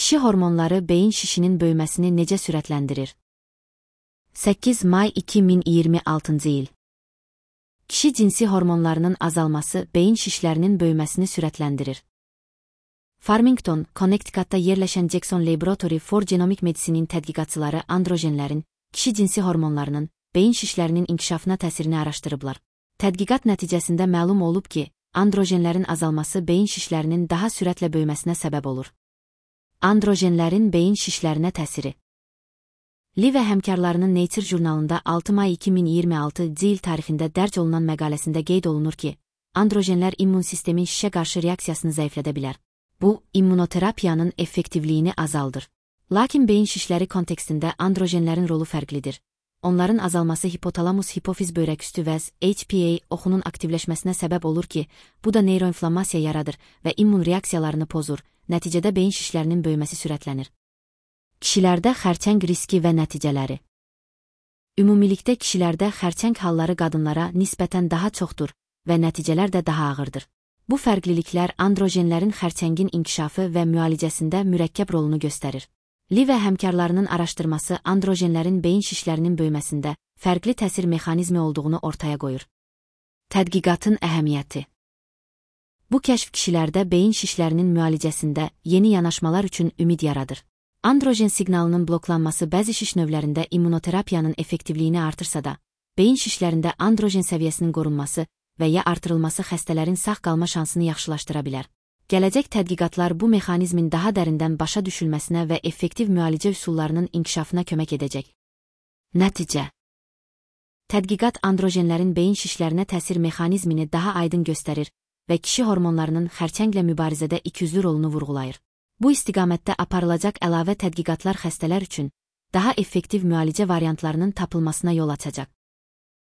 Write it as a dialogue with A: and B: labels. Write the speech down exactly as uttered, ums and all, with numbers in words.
A: Kişi hormonları beyin şişinin böyüməsini necə sürətləndirir? səkkiz may iki min iyirmi altıncı il. Kişi cinsi hormonlarının azalması beyin şişlərinin böyüməsini sürətləndirir. Farmington, Connecticut'ta yerləşən Jackson Laboratory for Genomic Medicine'in tədqiqatçıları androjenlərin, kişi cinsi hormonlarının, beyin şişlərinin inkişafına təsirini araşdırıblar. Tədqiqat nəticəsində məlum olub ki, androjenlərin azalması beyin şişlərinin daha sürətlə böyüməsinə səbəb olur. Androjenlərin beyin şişlərinə təsiri. Li və həmkarlarının Nature jurnalında altı may iki min iyirmi altıncı il tarixində dərc olunan məqaləsində qeyd olunur ki, androjenlər immun sistemin şişə qarşı reaksiyasını zəiflədə bilər. Bu, immunoterapiyanın effektivliyini azaldır. Lakin beyin şişləri kontekstində androjenlərin rolu fərqlidir. Onların azalması hipotalamus-hipofiz böyrəküstü vəz H P A oxunun aktivləşməsinə səbəb olur ki, bu da neyroinflammasiya yaradır və immun reaksiyalarını pozur, nəticədə beyin şişlərinin böyüməsi sürətlənir. Kişilərdə xərçəng riski və nəticələri. Ümumilikdə kişilərdə xərçəng halları qadınlara nisbətən daha çoxdur və nəticələr də daha ağırdır. Bu fərqliliklər androjenlərin xərçəngin inkişafı və müalicəsində mürəkkəb rolunu göstərir. Li və həmkarlarının araşdırması androjenlərin beyin şişlərinin böyüməsində fərqli təsir mexanizmi olduğunu ortaya qoyur. Tədqiqatın əhəmiyyəti. Bu kəşf kişilərdə beyin şişlərinin müalicəsində yeni yanaşmalar üçün ümid yaradır. Androjen siqnalının bloklanması bəzi şiş növlərində immunoterapiyanın effektivliyini artırsa da, beyin şişlərində androjen səviyyəsinin qorunması və ya artırılması xəstələrin sağ qalma şansını yaxşılaşdıra bilər. Gələcək tədqiqatlar bu mexanizmin daha dərindən başa düşülməsinə və effektiv müalicə üsullarının inkişafına kömək edəcək. Nəticə. Tədqiqat androjenlərin beyin şişlərinə təsir mexanizmini daha aydın göstərir və kişi hormonlarının xərçənglə mübarizədə ikiyüzlü rolunu vurğulayır. Bu istiqamətdə aparılacaq əlavə tədqiqatlar xəstələr üçün daha effektiv müalicə variantlarının tapılmasına yol açacaq.